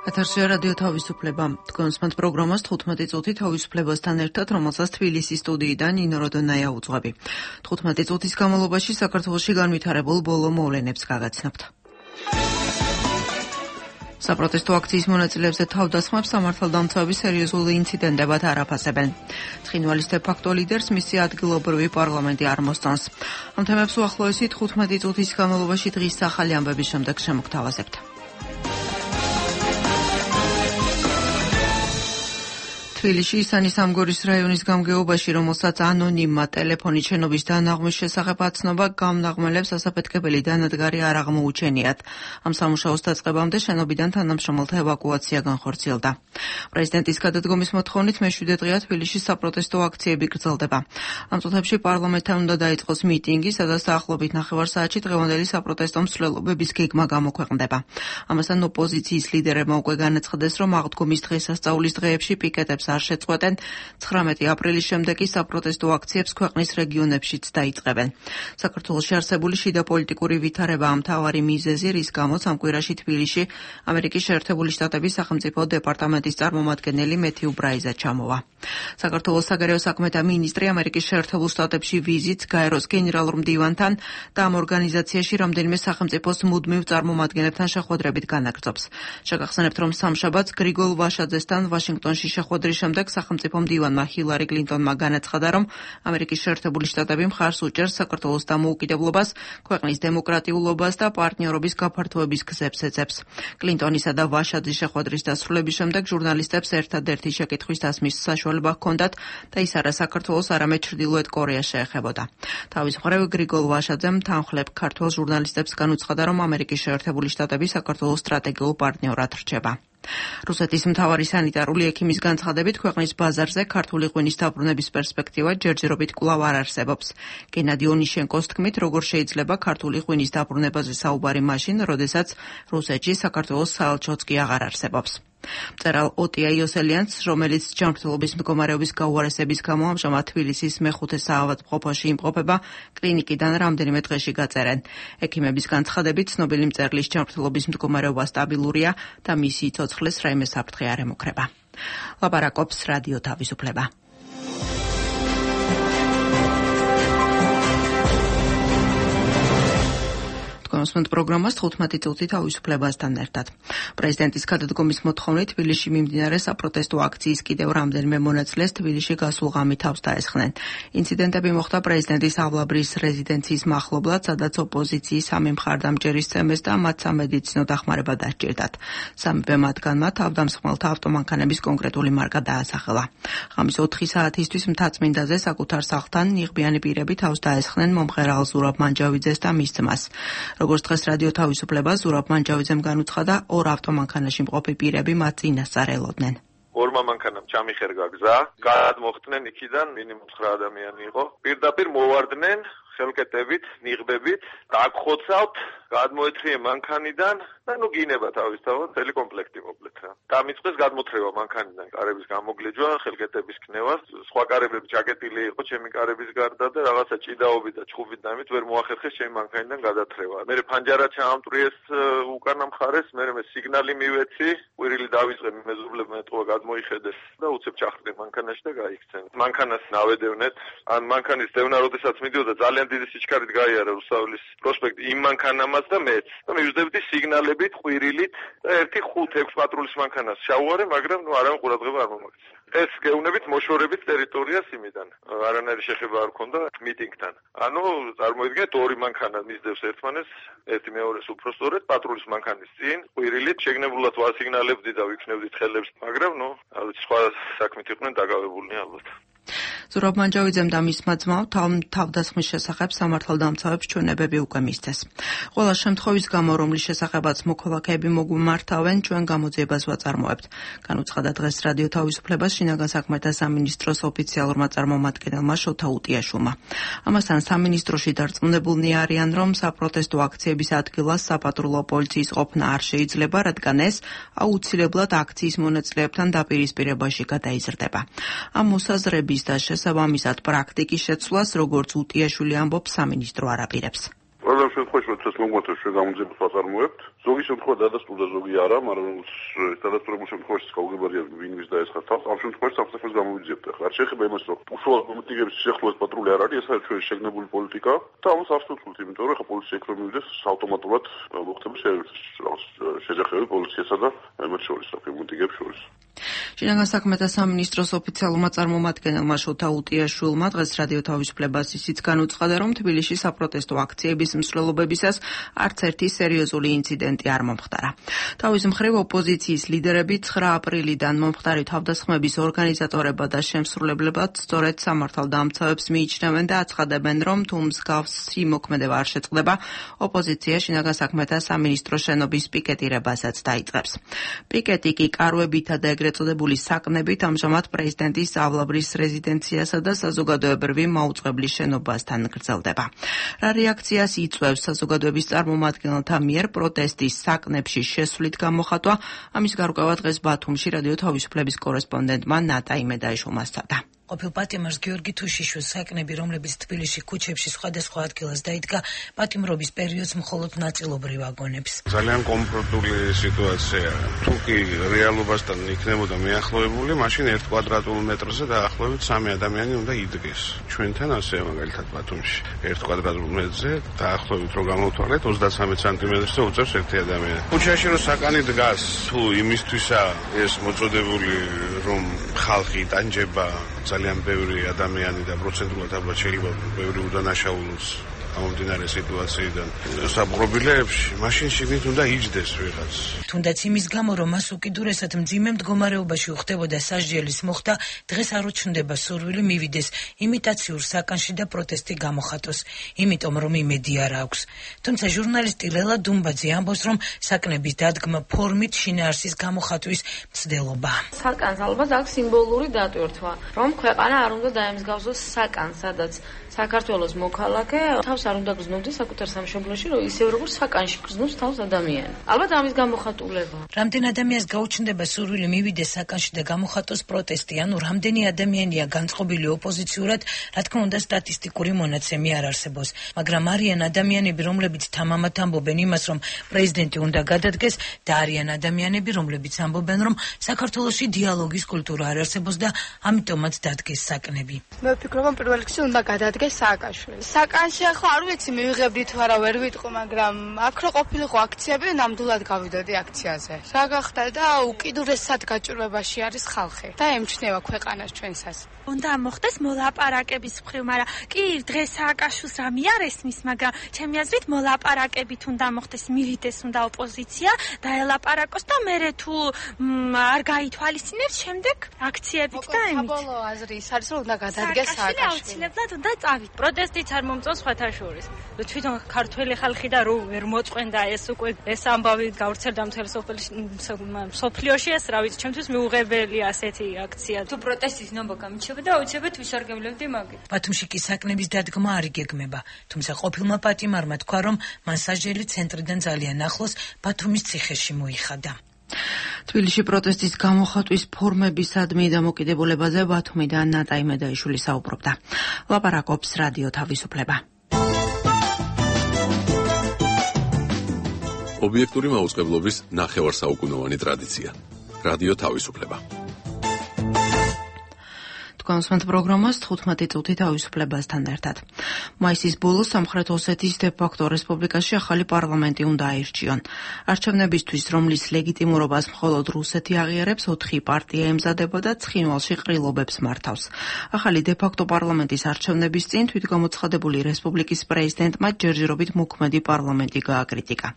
ეთერში რადიო თავისუფლება. თქვენს პროგრამას 15 წუთი თავისუფლებასთან ერთად, რომელსაც თბილისის სტუდიიდან ნინო როდონაია უძღვები. 15 წუთის განმავლობაში საქართველოში განვითარებულ ბოლო მოვლენებს გაგაცნობთ. საპროტესტო აქციის მონაწილეებზე თავდასხმებს სამართალდამცავები სერიოზულ ინციდენტებად არ აფასებენ. ცხინვალის de facto ლიდერს მისი ადგილობრივი პარლამენტი არ მოსწონს. ამ თემებს უახლოესი 15 წუთის განმავლობაში დღის ახალი ამბების შემდეგ შემოგთავაზებთ. თბილისში ისანის ამგორის რაიონის გამგეობაში, რომელსაც ანონიმმა ტელეფონით შენობის დანაღმვის შესახებ აცნობა, გამნაღმელებს ასაფეთქებელი დანადგარი არ აღმოუჩენიათ. ამ სამუშაოს დაწყებამდე შენობიდან თანამშრომელთა ევაკუაცია განხორციელდა. პრეზიდენტის გადადგომის მოთხოვნით მე-7 დღეა თბილისში საპროტესტო აქციები გრძელდება. ამ წუთებში პარლამენტთან უნდა დაიწყოს მიტინგი, სადაც დაახლოებით 9 საათში დღევანდელი საპროტესტო მსვლელობების გეგმა გამოქვეყნდება. ამასთან ოპოზიციის ლიდერებმა უკვე განაცხადეს, რომ აღდგომის დღესასწაულის დღეებში პიკეტებს არ შეწყვეტენ. 19 აპრილის შემდეგ კი საპროტესტო აქციებს ქვეყნის რეგიონებშიც დაიწყებენ. საქართველოში არსებული შიდა პოლიტიკური ვითარებაა მთავარი მიზეზი, რის გამოც ამ კვირაში თბილისში ამერიკის შეერთებული შტატების სახელმწიფო დეპარტამენტის წარმომადგენელი მეთიუ ბრაიზა ჩამოვა. საქართველოს საგარეო საქმეთა მინისტრი ამერიკის შეერთებულ შტატებში ვიზიტს გაეროს გენერალურ მდივანთან და ამ ორგანიზაციაში რამდენიმე სახელმწიფოს მუდმივ წარმომადგენლებთან შეხვედრებით განაგრძობს. შეგახსენებთ, რომ სამშაბათს გრიგოლ ვაშაძესთან ვაშინგტონში შეხვედრის შემდეგ სახელმწიფო მდივანმა ჰილარი კლინტონმა განაცხადა, რომ ამერიკის შეერთებული შტატები მხარს უჭერს საქართველოს დამოუკიდებლობას, ქვეყნის დემოკრატიულობას და პარტნიორობის გაფართოების გზებს ეძებს. კლინტონისა და ვაშაძის შეხვედრის დასრულების შემდეგ ჟურნალისტებს ერთადერთი შეკითხვის დასმის საშუალება ჰქონდათ და ის არა საქართველოს, არამედ ჩრდილოეთ კორეას შეეხებოდა. თავის მხრივ გრიგოლ ვაშაძემ თანხლებ ქართველ ჟურნალისტებს განუცხადა, რომ ამერიკის შეერთებული შტატები საქართველოს სტრატეგიულ პარტნიორად რჩება. რუსეთის მთავარი სანიტარული ექიმის განცხადებით, ქვეყნის ბაზარზე ქართული ღვინის დაბრუნების პერსპექტივა ჯერჯერობით კვლავ არ არსებობს. გენადი ონიშენკოს თქმით, როგორ შეიძლება ქართული ღვინის დაბრუნებაზე საუბარი მაშინ, როდესაც რუსეთში საქართველოს საელჩოც კი აღარ არსებობს. მწერალ ოტია იოსელიანს, რომელიც ჯანმრთელობის მდგომარეობის გაუარესების გამო ამჟამად თბილისის მე-5 საავადმყოფოში იმყოფება, კლინიკიდან რამდენიმე დღეში გაწერენ. ექიმების განცხადებით, ცნობილი მწერლის ჯანმრთელობის მდგომარეობა სტაბილურია და მისი ცოცხლის რაიმე საფრთხე არ ემუქრება. ლაპარაკობს რადიო თავისუფლება. კონსმენტ პროგრამას 15 წუთი თავისუფლებასთან ერთად. პრეზიდენტის გადადგომის მოთხოვნით თბილისში მიმდინარე საპროტესტო აქციის კიდევ რამდენიმე მონაწილეს თბილისში გასულ ღამით თავს დაესხნენ. ინციდენტები მოხდა პრეზიდენტის ავლაბრის რეზიდენციის მახლობლად, სადაც ოპოზიციის სამი მხარდამჭერი სცემეს და მათ სამედიცინო დახმარება დასჭირდათ. სამივე მათგანმა თავდამსხმელთა ავტომანქანების კონკრეტული მარკა დაასახელა. ღამის 4 საათისთვის მთაწმინდაზე საკუთარ სახლთან ნიღბიანი პირები თავს დაესხნენ მომღერალ ზურაბ მანჯავიძეს და მის ძმას. როგორც დღეს რადიო თავისუფლება ზურაბ მანჯავიძემ განუცხადა, ორ ავტომანქანაში მყოფი პირები მათ წინასწარ ელოდნენ. ორმა მანქანამ ჩამიხერგა გზა, გადმოხდნენ იქიდან, მინიმუმ 9 ადამიანი იყო. პირდაპირ მოვარდნენ ხელკეტებით, ნიღბებით, დაგხოცავთ, გადმოეცრიე მანქანიდან და გინება თავისთავად წელი კომპლექტი მოკლეთ რა. დამიწყეს გადმოთრევა მანქანიდან, კარების გამოგლეჯვა, ხელკეტების ქნევა, სხვა კარებები ჩაკეტილი იყო ჩემი კარების გარდა და რაღაცა ჭიდაობით და ჩხუბით დამით ვერ მოახერხეს ჩემი მანქანიდან გადათრევა. მე ფანჯარა ჩაამტვრიეს უკანა მხარეს, მე სიგნალი მივეცი, ყვირილი დავიწყე მეზობლებმა ეთყობა გადმოიხედეს და უცებ ჩახრდნენ მანქანაში და გაიქცნენ. მანქანას ნავედევნეთ, ან მანქანის დევნა როდესაც მიდიოდა ძალიან დიდი სიჩქარით გაიარა რუსთაველის პროსპექტი იმ მანქანამაც და მეც. და მივждებდი სიგნალებით, ყვირილით და ერთი 5-6 პატრულის მანქანას შავუარე, მაგრამ არავინ ყურადღება არ მომაქცია. ეს გეუბნებით მოშორებით ტერიტორიას იმიდან. არანაირი შეხება არ ქონდა მიტინგთან. ანუ წარმოიდგინეთ, ორი მანქანა მისდევს ერთმანეს, ერთი მეორეს უფრო სწორედ პატრულის მანქანის წინ, ყვირილით შეგნებულად ვასიგნალებდი და ვიქნებდით ხელებს, მაგრამ სხვა საქმით იყვნენ დაკავებულნი ალბათ. ზურაბ მანჯავიძემ და მისმა ძმამ თავდასხმის შესახებ სამართალდამცავებს ჩვენებები უკვე მისცეს. ყველა შემთხვევის გამო, რომლის შესახებაც მოქალაქეები მოგვიმართავენ, ჩვენ გამოძიებას ვაწარმოებთ. განუცხადა დღეს რადიო თავისუფლებას შინაგან საქმეთა სამინისტროს ოფიციალურმა წარმომადგენელმა შოთა უტიაშვილმა. ამასთან სამინისტროში დარწმუნებულნი არიან, რომ საპროტესტო აქციების ადგილას საპატრულო პოლიციის ყოფნა არ შეიძლება, რადგან ეს აუცილებლად აქციის მონაწილეებთან დაპირისპირებაში გადაიზრდება. ამ მოსაზრების და შესაბამისად პრაქტიკის შეცვლას, როგორც უტიაშვილი ამბობს, სამინისტრო არ აპირებს. ყველამ შემთხვევაში როდესაც მოგმოწევ ჩვენ გამოძიებას ვაწარმოებთ. ზოგი შემთხვევა დადასტურდა, ზოგი არა, მაგრამ დადასტურებულ შემთხვევაში გავუგებარია ვინმის დაესხა თავს. ამ შემთხვევაში საფრთხეს გამოვიძიებთ. ახლა არ შეიძლება იმას რომ უშუალოდ მომიტინგების სიახლოვეს პატრული არ არის, ეს არის ჩვენი შეგნებული პოლიტიკა და ამას ავსტურთულთ, იმიტომ რომ ახლა პოლიცია იქ რომ მივიდეს ავტომატურად მოხდება შეჯახები პოლიციასა და მათ შორის, მომიტინგებს შორის. შინაგან საქმეთა სამინისტროს ოფიციალურმა წარმომადგენელმა შოთა უტიაშვილმა დღეს რადიო თავისუფლებას ისიც განუცხადა, რომ თბილისში საპროტესტო აქციების მსვლელობებისას არც ერთი სერიოზული ინციდენტი არ მომხდარა. თავის მხრივ ოპოზიციის ლიდერები 9 აპრილიდან მომხდარი თავდასხმების ორგანიზატორებად და შემსრულებლებად სწორედ სამართალდამცავებს მიიჩნევენ და აცხადებენ, რომ თუ მსგავსი მოქმედება არ შეწყდება, ოპოზიცია შინაგან საქმეთა სამინისტროს შენობის პიკეტირებასაც დაიწყებს. პიკეტი კი კარვებითა და ეგრეთ წოდებული საკნებით ამჟამად პრეზიდენტის ავლაბრის რეზიდენციასა და საზოგადოებრივი მაუწყებლის შენობასთან გრძელდება. რა რეაქციას იწვევს საზოგადოების წარმომადგენელთა მიერ პროტესტის საკნებში შესვლით გამოხატვა, ამის გარკვევა დღეს ბათუმში რადიო თავისუფლების კორესპონდენტმა ნატა იმედაიშვილმა სცადა. ყოფილ პატიმარს გიორგი თუშიშვილს საკნები, რომლებიც თბილისში ქუჩებში სხვადასხვა ადგილას დაიდგა, პატიმრობის პერიოდს მხოლოდ ნაწილობრივ აგონებს. ძალიან კომფორტული სიტუაცია. თუ კი რეალობასთან იქნებოდა მიახლოებული, მაშინ 1 კვადრატულ მეტრზე დაახლოებით 3 ადამიანი უნდა იდგეს. ჩვენთან ასეა მაგალითად ბათუმში. 1 კვადრატულ მეტრზე დაახლოებით რო გამოვთვალეთ 33 სანტიმეტრზე უწევს 1 ადამიანი. ქუჩაში რო საკანი დგას, თუ იმისთვისა ეს მოწოდებული რომ ხალხი ტანჯება ძალიან ბევრი ადამიანი და პროცენტულად ალბათ შეიძლება ბევრი უდანაშაულოს ამომდინარე სიტუაციიდან საპყრობილეებში, მაშინ შიგნით უნდა იჯდეს ვიღაც. თუნდაც იმის გამო, რომ მას უკიდურესად მძიმე მდგომარეობაში უხდებოდა სასჯელის მოხდა, დღეს არ უჩნდება სურვილი მივიდეს იმიტაციურ საკანში და პროტესტი გამოხატოს, იმიტომ რომ იმედი არ აქვს. თუმცა ჟურნალისტი ლელა დუმბაძე ამბობს, რომ საკნების დადგმა ფორმით შინაარსის გამოხატვის მცდელობა. საკანს ალბათ აქვს სიმბოლური დატვირთვა, რომ ქვეყანა არ უნდა დაემსგავსოს საკანს, სადაც საქართველოს მოქალაქე თავს არ უნდა გრძნობს საკუთარ სამშობლოში, რომ ისევ როგორც საკანში გრძნობს თავს ადამიანი. ალბათ ამის გამოხატულება. რამდენ ადამიანს გაუჩნდება სურვილი მივიდეს საკანში და გამოხატოს პროტესტი, ანუ რამდენი ადამიანია განწყობილი ოპოზიციურად, რა თქმა უნდა სტატისტიკური მონაცემი არ არსებობს, მაგრამ არიან ადამიანები, რომლებიც თამამად ამბობენ იმას, რომ პრეზიდენტი უნდა გადადგეს და არიან ადამიანები, რომლებიც ამბობენ, რომ საქართველოში დიალოგის კულტურა არ არსებობს და ამიტომაც დადგეს საკნები. მე ვფიქრობ, რომ პირველ რიგში უნდა გადადგეს სააკაშვილი. საკანში ახლა არ ვიცი მივიღებდი თუ არა ვერ ვიტყო, მაგრამ აქ რო ყოფილიყო აქციები, ნამდვილად გავიდოდი აქციაზე. რა გახდა და უკიდურესად გაჭირვებაში არის ხალხი და ემჩნევა ქვეყანას ჩვენსას. უნდა მოხდეს მოლაპარაკების მხრივ, მაგრამ კი დღეს სააკაშვილს რამე არ ესმის, მაგრამ ჩემი აზრით მოლაპარაკებით უნდა მოხდეს, მივიდეს უნდა ოპოზიცია და ელაპარაკოს და მერე თუ არ გაითვალისწინებს, შემდეგ აქციებით და ემით. საბოლოო აზრი ის არის, რომ უნდა გადადგეს სააკაშვილი. აუცილებლად უნდა წავით. პროტესტიც არ მომწონს სხვათა შორის. თვითონ ქართველი ხალხი და რო ვერ მოწყვენდა ეს უკვე ეს ამბავი გავრცელდა მთელ სოფლიოში, ეს რა ვიცი, ჩემთვის მიუღებელია ასეთი აქცია. თუ პროტესტის ნობა გამიჩნდება და აუცილებლად ვისარგებლევდი მაგით. ბათუმში კი საკნების დადგმა არ იგეგმება, თუმცა ყოფილმა პატიმარმა თქვა, რომ მან სასჯელი ცენტრიდან ძალიან ახლოს ბათუმის ციხეში მოიხადა. თბილისში პროტესტის გამოხატვის ფორმებისადმი დამოკიდებულებაზე ბათუმიდან ნატა იმედაიშვილი საუბრობდა. ლაპარაკობს რადიო თავისუფლება. ობიექტური მაუწყებლობის ნახევარსაუკუნოვანი ტრადიცია. რადიო თავისუფლება. კონსმენტ პროგრამას 15 წუთი თავისუფლებასთან ერთად. მაისის ბოლოს სამხრეთ ოსეთის დე-ფაქტო რესპუბლიკაში ახალი პარლამენტი უნდა აირჩიონ. არჩევნებისთვის, რომლის ლეგიტიმურობას მხოლოდ რუსეთი აღიარებს, 4 პარტია ემზადება და ცხინვალში ყრილობებს მართავს. ახალი დე-ფაქტო პარლამენტის არჩევნების წინ თვითგამოცხადებული რესპუბლიკის პრეზიდენტმა ჯერჯერობით მოქმედი პარლამენტი გააკრიტიკა.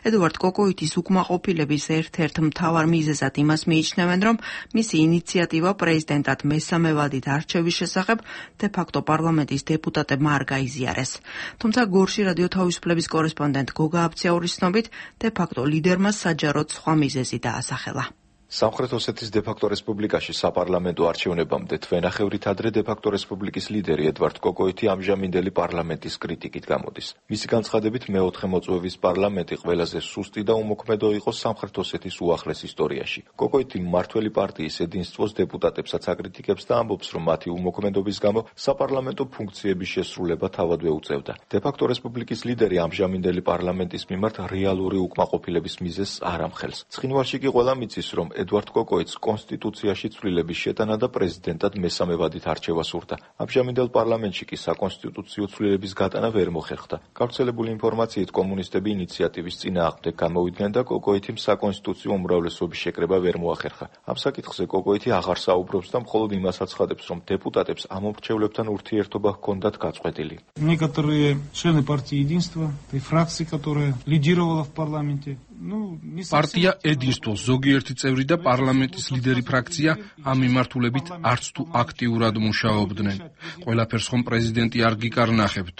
ედუარდ კოკოიტის უკმაყოფილების ერთ-ერთ მთავარ მიზეზად იმას მიიჩნევენ, რომ მისი ინიციატივა პრეზიდენტად მესამე ვადით არჩევის შესახებ დე-ფაქტო პარლამენტის დეპუტატებმა არ გაიზიარეს. თუმცა გორში რადიო თავისუფლების კორესპონდენტ გოგა აბციაურის ცნობით, დე-ფაქტო ლიდერმა საჯაროდ სხვა მიზეზი დაასახელა. სამხრეთ ოსეთის დე-ფაქტო რესპუბლიკაში საპარლამენტო არჩევნებამდე თვენახევრით ადრე დე-ფაქტო რესპუბლიკის ლიდერი ედვარდ კოკოიტი ამჟამინდელი პარლამენტის კრიტიკით გამოდის. მისი განცხადებით მეოთხე მოწვევის პარლამენტი ყველაზე სუსტი და უმოქმედო იყო სამხრეთ ოსეთის უახლეს ისტორიაში. კოკოიტი მმართველი პარტიის ედინსტვოს დეპუტატებსაც აკრიტიკებს და ამბობს, რომ მათი უმოქმედობის გამო საპარლამენტო ფუნქციების შესრულება თავადვე უწევდა. დე-ფაქტო რესპუბლიკის ლიდერი ამჟამინდელი პარლამენტის მიმართ რეალური უკმაყოფილების მიზეზს არ ამხელს. ცხინვალში კი ყველა მიცის, რომ ედვარდ კოკოიტს კონსტიტუციაში ცვლილების შეტანა და პრეზიდენტად მესამე ვადით არჩევა სურდა. ამჟამინდელ პარლამენტში კი საკონსტიტუციო ცვლილების გატანა ვერ მოხერხდა. გავრცელებული ინფორმაციით კომუნისტები ინიციატივის წინააღმდეგ გამოვიდნენ და კოკოიტიმ საკონსტიტუციო უმრავლესობის შეკრება ვერ მოახერხა. ამ საკითხზე კოკოიტი აღარ საუბრობს და მხოლოდ იმას აცხადებს, რომ დეპუტატებს ამ მომრჩევლებთან ურთიერთობა ჰქონდათ გაწყვეტილი. Некоторые члены партии Единства, той фракции, которая лидировала в парламенте. Партия Единство, ზოგიერთი წევრი და პარლამენტის ლიდერი ფრაქცია ამ მიმართულებით არც თუ აქტიურად მუშაობდნენ. ყველაფერს ხომ პრეზიდენტი არ გიკარნახებთ.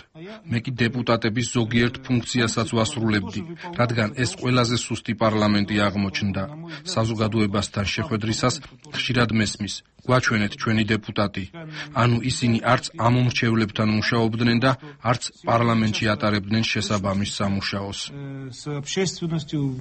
მე კი დეპუტატების ზოგიერთ ფუნქციასაც ვასრულებდი, რადგან ეს ყველაზე სუსტი პარლამენტი აღმოჩნდა. საზოგადოებასთან შეხვედრისას ხშირად მესმის. გვაჩვენეთ ჩვენი დეპუტატი. ანუ ისინი არც ამ მომრჩევლებთან მუშაობდნენ და არც პარლამენტში ატარებდნენ შესაბამის სამუშაოს.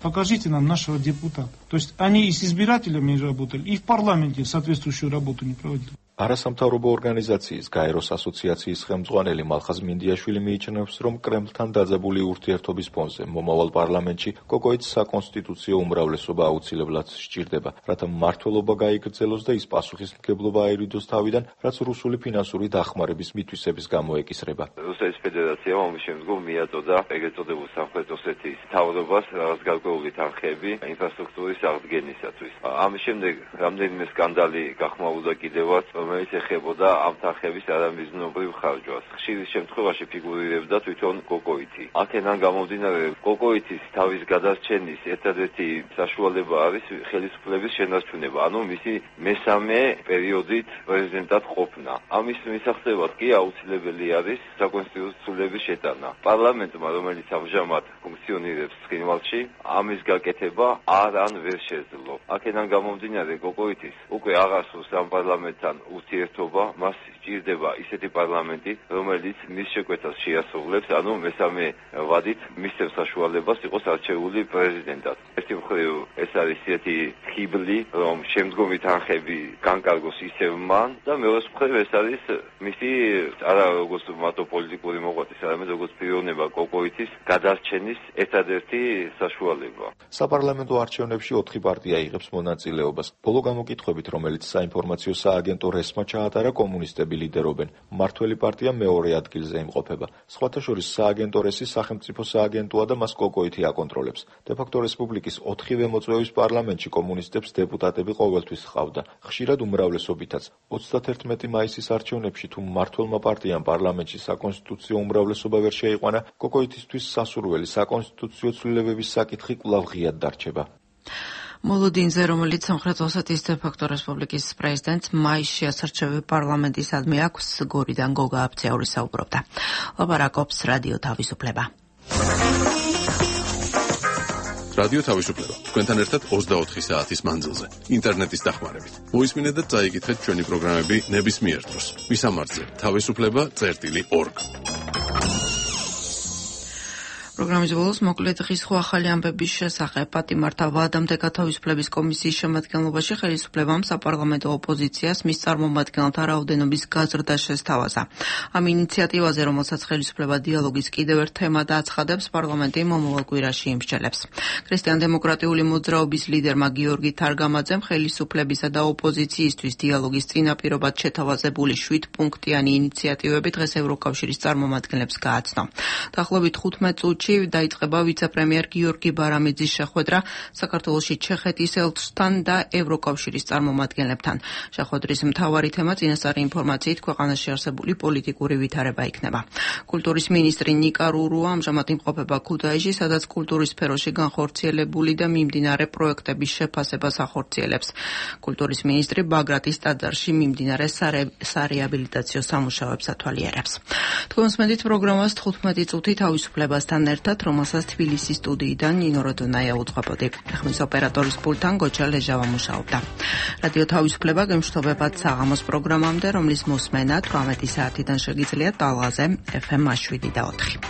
Покажите нам нашего депутата. То есть они и с избирателями работали, и в парламенте соответствующую работу не проводили. არასამთავრობო ორგანიზაციის გაეროს ასოციაციის ხელმძღვანელი მალხაზ მინდიაშვილი მიიჩნევს, რომ კრემლთან დაძაბული ურთიერთობის ფონზე მომავალ პარლამენტში კოკოიტს საკონსტიტუციო უმრავლესობა აუცილებლად სჭირდება, რათა მმართველობა გაიგრძელოს და ის პასუხისმგებლობა აირიდოს თავიდან, რაც რუსული ფინანსური დახმარების მითვისების გამო ეკისრება. რუსეთის ფედერაციამ ამის შემდგომ მიაწოდა ეგრეთ წოდებულ სამხრეთ ოსეთის მთავრობას რაღაც გარკვეული თანხები ინფრასტრუქტურის აღდგენისათვის. ამის შემდეგ რამდენიმე სკანდალი გახმაურდა კიდევაც, რომელიც ეხებოდა ამ თანხების არამიზნობრივ ხარჯვას. ხშირ შემთხვევაში ფიგურირებდა თვითონ კოკოიტი. აქედან გამომდინარე, კოკოიტის თავის გადარჩენის ერთადერთი საშუალება არის ხელისუფლების შენარჩუნება, ანუ მისი მესამე პერიოდით პრეზიდენტად ყოფნა. ამის მისაღწევად კი აუცილებელი არის საკონსტიტუციო ცვლილების შეტანა. პარლამენტმა, რომელიც ამჟამად ფუნქციონირებს ცხინვალში, ამის გაკეთება არ ვერ შეძლო. აქედან გამომდინარე, კოკოიტის უკვე აღარ სურს ამ პარლამენტთან ურთიერთობა, მას სჭირდება ისეთი პარლამენტი, რომელიც მის შეკვეთას შეასრულებს, ანუ მესამე ვადით მისცემს საშუალებას იყოს არჩეული პრეზიდენტად. ერთი მხრივ ეს არის ისეთი ხიბლი, რომ შემდგომი თანხები განკარგოს ისევ მან და მეორე მხრივ ეს არის მისი არა როგორც მათო პოლიტიკური მოღვაწის, არამედ როგორც პიროვნება კოკოიტის გადარჩენის ერთადერთი საშუალება. საპარლამენტო არჩევნებში 4 პარტია იღებს მონაწილეობას. ბოლო გამოკითხვებით, რომელიც საინფორმაციო სააგენტო რესმა ჩაატარა, კომუნისტები ლიდერობენ. მმართველი პარტია მეორე ადგილზე იმყოფება. სხვათა შორის სააგენტო რესი სახელმწიფო სააგენტოა და მას კოკოიტი აკონტროლებს. დე-ფაქტო რესპუბლიკის 4-ვე მოწვევის პარლამენტში კომუნისტებს დეპუტატები ყოველთვის ჰყავდა. ხშირად უმრავლესობითაც. 31 მაისის არჩევნებში თუ მმართველმა პარტიამ პარლამენტში საკონსტიტუციო უმრავლესობა ვერ შეიყვანა, კოკოიტისთვის სასურველი საკონსტიტუციო ცვლილებების საკითხი კვლავ ღიად დარჩება. მოლოდინზე, რომელიც სამხრეთ ოსეთის დე-ფაქტო რესპუბლიკის პრეზიდენტს მაისში ასარჩევი პარლამენტისადმი აქვს, გორიდან გოგა აბცაური საუბრობდა. ლაპარაკობს რადიო თავისუფლება. რადიო თავისუფლება. თქვენთან ერთად 24 საათის მანძილზე. ინტერნეტის დახმარებით. მოისმინეთ და წაიკითხეთ ჩვენი პროგრამები ნებისმიერ დროს. ვისამართზე თავისუფლება.org. პროგრამის ბოლოს მოკლედ დღის ხო ახალი ამბების შესახებ პატიმართა ვადამდე გათავისუფლების კომისიის შემადგენლობაში ხელისუფლებამ საპარლამენტო ოპოზიციას მის წარმომადგენელთა რაოდენობის გაზრდა შესთავაზა. ამ ინიციატივაზე, რომელსაც ხელისუფლება დიალოგის კიდევ ერთ თემად აცხადებს, პარლამენტი მომავალ კვირაში იმსჯელებს. ქრისტიან-დემოკრატიული მოძრაობის ლიდერმა გიორგი თარგამაძემ ხელისუფლებისა და ოპოზიციისთვის დიალოგის წინაპირობად შეთავაზებული 7-პუნქტიანი ინიციატივები დღეს ევროკავშირის წარმომადგენლებს გააცნო. დაახლოებით 15 წუთში დაიწყება ვიცე-პრემიერ გიორგი ბარამიძის შეხვედრა საქართველოში ჩეხეთის ელჩთან და ევროკავშირის წარმომადგენლებთან. შეხვედრის მთავარი თემა წინასწარი ინფორმაციით ქვეყანაში არსებული პოლიტიკური ვითარება იქნება. კულტურის მინისტრი ნიკა რურუა ამჟამად იმყოფება ქუთაისში, სადაც კულტურის სფეროში განხორციელებული და მიმდინარე პროექტების შეფასებას ახორციელებს. კულტურის მინისტრი ბაგრატის ტაძარში მიმდინარე სარეაბილიტაციო სამუშაოებს ათვალიერებს. თქვენ მსმენთ პროგრამას 15 წუთი თავისუფლებასთან ერთად, რომელსაც თბილისის სტუდიიდან ნინო როდონაია უძღვებოდი. ხმის ოპერატორის პულტთან გოჩა ლეჟავა მუშაობდა. რადიო თავისუფლება გემშვიდობებად საღამოს პროგრამამდე, რომლის მოსმენა 18 საათიდან შეგიძლიათ ტალღაზე FM 7 და 4.